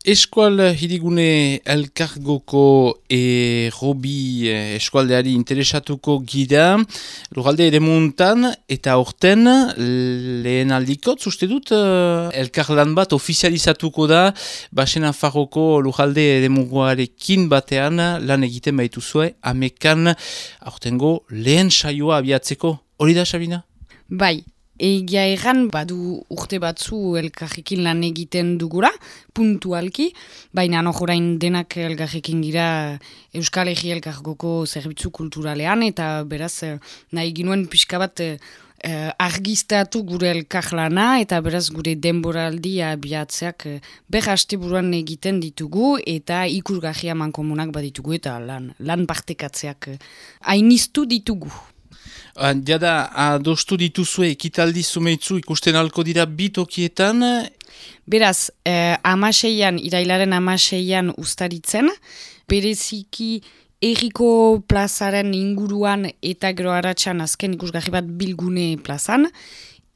Eskual hirigune elkargoko Robi eskualdeari interesatuko gira lugalde ere muntan eta horten lehen aldikot uste dut elkarlan bat ofizializatuko da Basen Nafarroko lugalde ere muguarekin batean lan egiten baituzue amekan aurtengo lehen saioa abiatzeko. Hori da, Sabina? Bai. Egia erran, badu urte batzu elkarrekin lan egiten dugula, puntualki, baina orain denak elkarrekin gira Euskal Herri Elkargoko zerbitzu kulturalean, eta beraz nahi ginuen pixka bat argiztatu gure elkarlana, eta beraz gure denboraldia biatzeak asteburuan egiten ditugu, eta ikusgarria mankomunak baditugu, eta lan partekatzeak hainiztu ditugu. Jada, adostu dituzue ekitaldi zumeitzu ikusten alko dira bitokietan? Beraz, irailaren 16an ustaritzen, bereziki Erriko plazaren inguruan eta gero aratsan azken ikusgarri bat Bilgune plazan,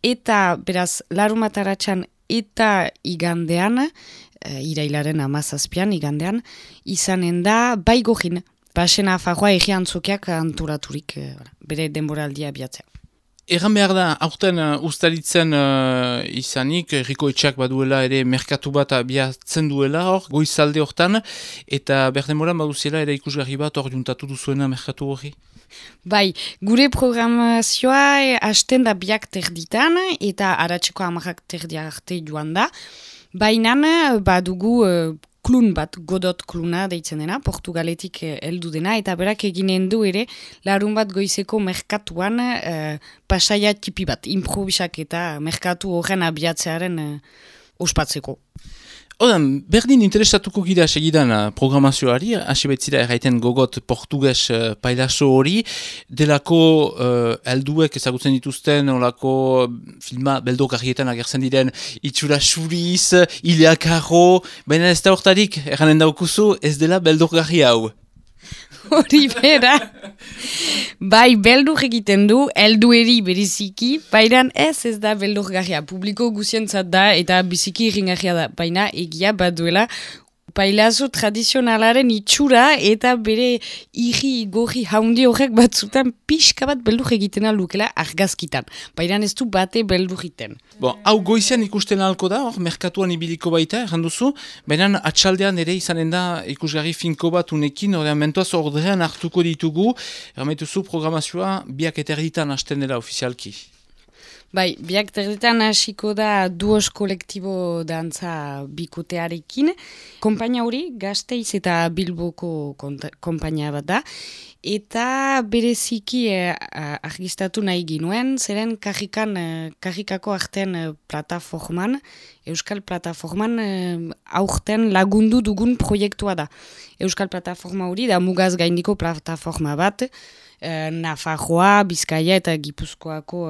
eta beraz, larumat aratsan eta igandean, irailaren 17an igandean, izanen da Baigorrin. Basen Nafarroa egi antzokiak antolaturik bere denboraldia abiatzea. Erran behar da, aurten ustaritzen izanik, Herriko Etxeak baduela ere merkatu bat abiatzen duela hor, goizalde hortan, eta berdemoran baduziela ere ikusgarri bat hor juntatu duzuena merkatu hori? Bai, gure programazioa hasten da biak terditan, eta aratzeko 10 terdi arte joan da, baina badugu klun bat, Godot kluna deitzen dena, Portugaletik heldu dena, eta berak eginen du ere, larun bat goizeko merkatuan pasaia tipi bat, improvisak eta merkatu horren abiatzearen ospatzeko. Odan, berdin interesatuko gira segidan programazioari, hasi betzira erraiten gogot portugues pailaso hori, delako helduek ezagutzen dituzten, olako filma beldokarrietan agertzen diren itxura xuriz, ileakarro, baina ez da hortarik, erranen daukuzu, ez dela beldokarri hau. Hori bera. Bai, beldur egiten du, heldueri beriziki, baina ez da beldurgarria. Publiko guzientzat da eta biziki irringarria da. Baina egia baduela pailazo tradizionalaren itxura eta bere irri gorri haundi horrek batzutan pixka bat beldur egiten alukela argazkitan. Baina ez du bate beldur egiten. Bon, hau goizean ikusten ahalko da, hor, merkatuan ibiliko baita, erranduzu, baina atxaldean ere izanen da ikusgarri finko bat unekin, horrean mentuaz ordean hartuko ditugu, errametuzu programazioa biak eterditan hasten dela ofizialki. Bai, biak terditan hasiko da duos kolektibo dantza bikotearekin. Konpainia hori Gasteiz eta Bilboko konpainia bat da. Eta bereziki argistatu nahi ginuen, zeren karrikako artean plataforman, Euskal Plataforman aurten lagundu dugun proiektua da. Euskal Plataforma hori da mugaz gaindiko plataforma bat, Nafarroa, Bizkaia eta Gipuzkoako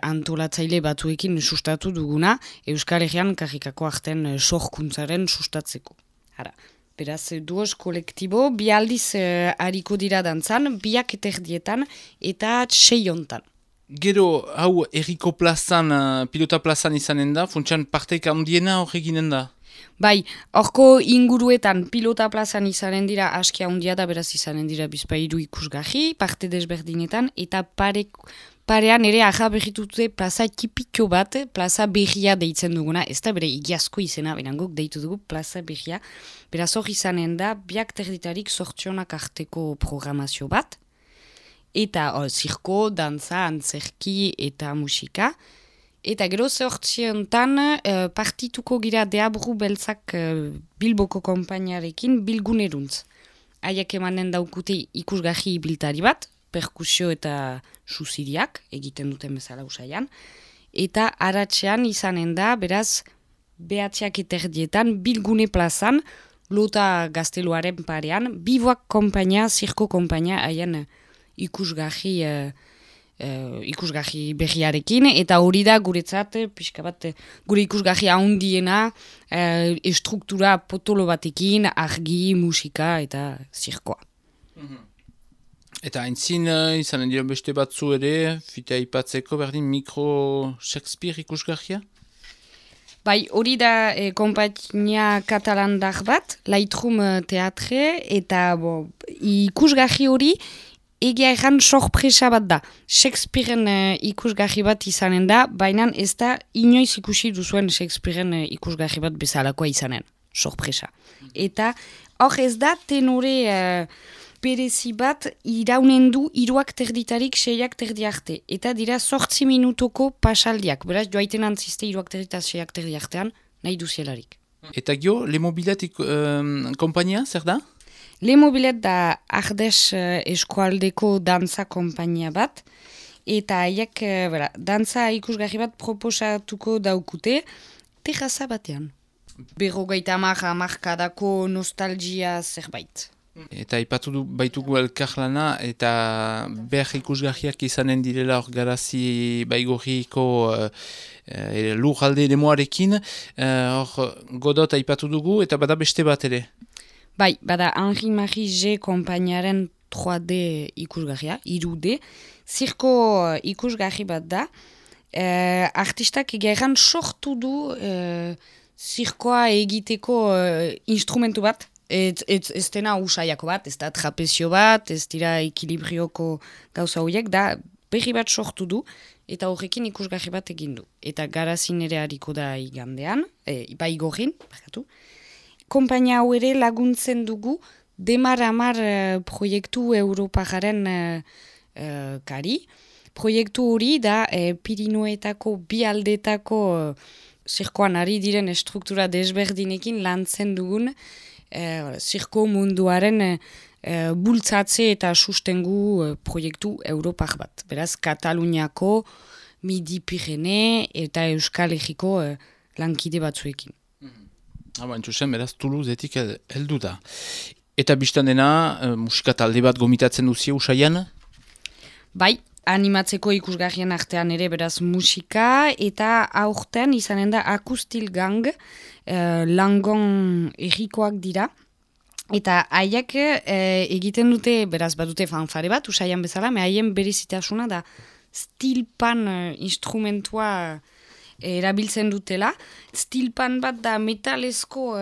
antolatzaile batzuekin sustatu duguna, Euskal Herrian karrikako artean sorkuntzaren sustatzeko. Beraz, duos kolektibo, bi aldiz hariko dira dantzan, biak eterdietan eta 6 hontan. Gero, hau, Herriko plazan, pilota plazan izanen da, funtsan parteik handiena hor eginen da? Bai, horko inguruetan pilota plazan izanen dira aski handia da, beraz izanen dira bizpairu ikusgarri, parte desberdinetan, eta parean ere aja berritute plaza tipiko bat, plaza berria deitzen duguna, ez da bere igiazko izena, benangok deitu dugu plaza berria, beraz hor izanen da, biak terditarik sortzionak arteko programazio bat, eta zirko, dantza, antzerki eta musika, eta gero sortziontan partituko gira deabru beltzak Bilboko konpainiarekin bilguneruntz. Haiek emanen daukute ikusgarri biltari bat, perkusio eta susiriak egiten duten bezala usaian, eta aratzean izanen da, beraz, behatziak eterdietan, Bilgune plazan, Lota Gazteluaren parean, Biboak konpainia, zirko konpainia, haien ikusgarri berriarekin, eta hori da guretzat, pixka bat, gure ikusgarri handiena, estruktura potolo batekin, argi, musika eta zirkoa. Eta aintzin izanen dira beste batzu ere, fita ipatzeko berdin mikro Shakespeare ikusgarria? Bai, hori da kompainia katalandar bat, Lightroom teatre, eta ikusgarri hori egia erran sorpresa bat da. Shakespearen ikusgarri bat izanen da, baina ez da inoiz ikusi duzuen Shakespearen ikusgarri bat bezalakoa izanen. Sorpresa. Eta hor ez da tenore berezi bat iraunen du 3:30 6:30 arte. Eta dira 8 minutoko pasaldiak. Beraz, joaiten antziste 3:30 6:30 artean nahi duzielarik. Eta gio, Le Mobilet kompainia, zer da? Le Mobilet da Ardes eskualdeko dantza kompainia bat, eta haiek dantza ikusgarri bat proposatuko daukute terraza batean. 50 hamarkadako nostalgia zerbait. Eta ipatu baitugu elkarlana eta behar ikusgarriak izanen direla hor garazi baigorriko lurralde lemoarekin, hor Godot aipatu dugu eta bada beste bat ere. Bai, bada Henri-Marie G konpainiaren 3D ikusgarria, 3D, zirko ikusgarri bat da, artistak egeran sortu du zirkoa egiteko instrumentu bat, ez dena usaiako bat, ez da trapezio bat, ez dira ekilibrioko gauza horiek, da berri bat sortu du, eta horrekin ikusgarri bat egin du. Eta garazin ere hariko da igandean, baigorrin, bakatu. Kompainia hau ere laguntzen dugu Demar-Amar proiektu Europajaren kari. Proiektu hori da Pirinoetako bi aldetako zirkoan ari diren estruktura desberdinekin lantzen dugun zirko munduaren bultzatze eta sustengu proiektu Europar bat. Beraz, Kataluniako, Midi-Pirene eta Euskal Herriko lankide batzuekin. Entzusen, beraz, Toulouseetik heldu da. Eta biztan dena, musika talde bat gomitatzen duzie usaian? Bai, animatzeko ikusgarrien artean ere beraz musika, eta aurten izanen da Akustil Gang, Langon errikoak dira. Eta haiek egiten dute, beraz badute fanfare bat, usaian bezala, haien berezitasuna da stilpan instrumentua erabiltzen dutela. Stilpan bat da metalezko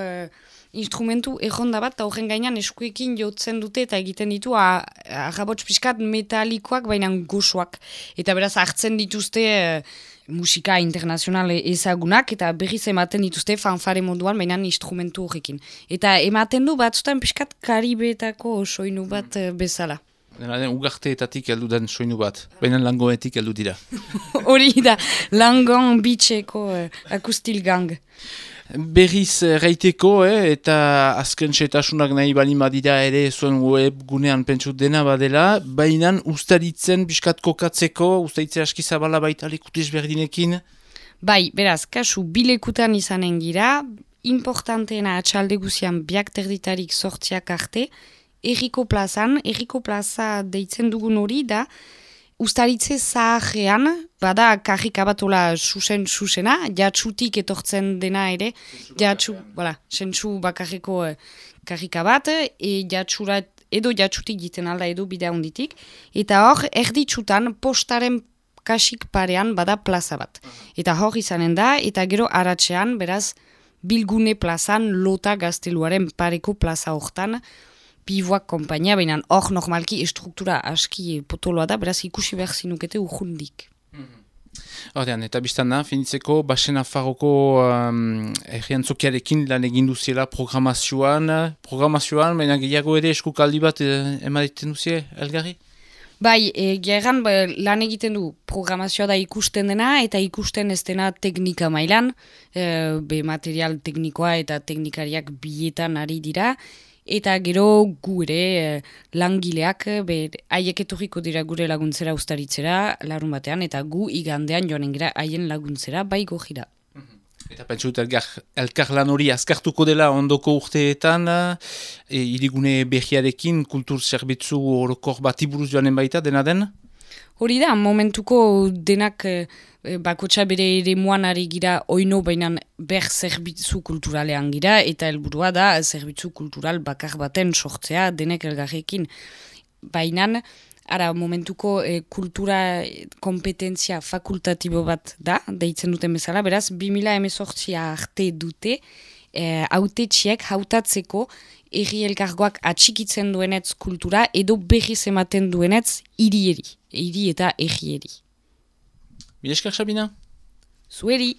instrumentu erronda bat, eta horren gainean eskuekin jotzen dute eta egiten ditu arrabots pixkat metalikoak, baina gozoak. Eta beraz hartzen dituzte musika internazional ezagunak, eta berriz ematen dituzte fanfare moduan, baina instrumentu horrekin. Eta ematen du batzutan pixkat Karibetako soinu bat bezala. Ugarteetatik heldu den soinu bat, baina Langoetik heldu dira. Hori da, Langon bitxeko Akustil Gang. Berriz reiteko, eta azken setasunak nahi bali madira ere zuen web gunean pentsut dena badela, baina ustaritzen biskat kokatzeko, ustaritze aski zabala baita lekutez berdinekin? Bai, beraz, kasu bilekutan izanen gira, importanteena atxalde guzian biak terditarik sortziak arte, Erriko plaza deitzen dugun hori da, ustaritze zaharrean, bada karrika batola susena, jatsutik etortzen dena ere, sentsu bakarreko karrika bat, edo jatsutik jiten alda edo bidea honditik, eta hor erditsutan postaren kasik parean bada plaza bat. Eta hor izanen da, eta gero aratzean, beraz, Bilgune plazan, Lota Gazteluaren pareko plaza hortan, Pivoak kompainia, baina hor normalki estruktura aski potoloa da, beraz ikusi behar zinukete urrundik. Hortean, eta biztan da, finitzeko, Basen Afarroko erriantzokiarekin lan egin duziela programazioan, baina gehiago ere eskukaldi bat emaiten duzie, Elgarri? Bai, geran lan egiten du programazioa da ikusten dena, eta ikusten ez dena teknika mailan, material teknikoa eta teknikariak bietan ari dira, eta gero gu ere langileak haiek etorriko dira gure laguntzera ustaritzera larun batean, eta gu igandean joanen gira haien laguntzera bai gojira. Eta pentsut elkarlan hori azkartuko dela ondoko urteetan, hirigune behiarekin kultur zerbitzu orokor bati buruz joanen baita, dena den? Hori da, momentuko denak bakotxa bere ere moan ari gira oino bainan ber zerbitzu kulturalean gira, eta helburua da zerbitzu kultural bakar baten sortzea denek elgarrekin. Bainan Ara, momentuko kultura kompetentzia fakultatibo bat da, deitzen duten bezala, beraz, 2018 arte dute, hautetxiek hautatzeko herri elkargoak atxikitzen duenetz kultura edo berriz ematen duenetz hiri eta herrieri. Mila esker, Sabina? Zueri!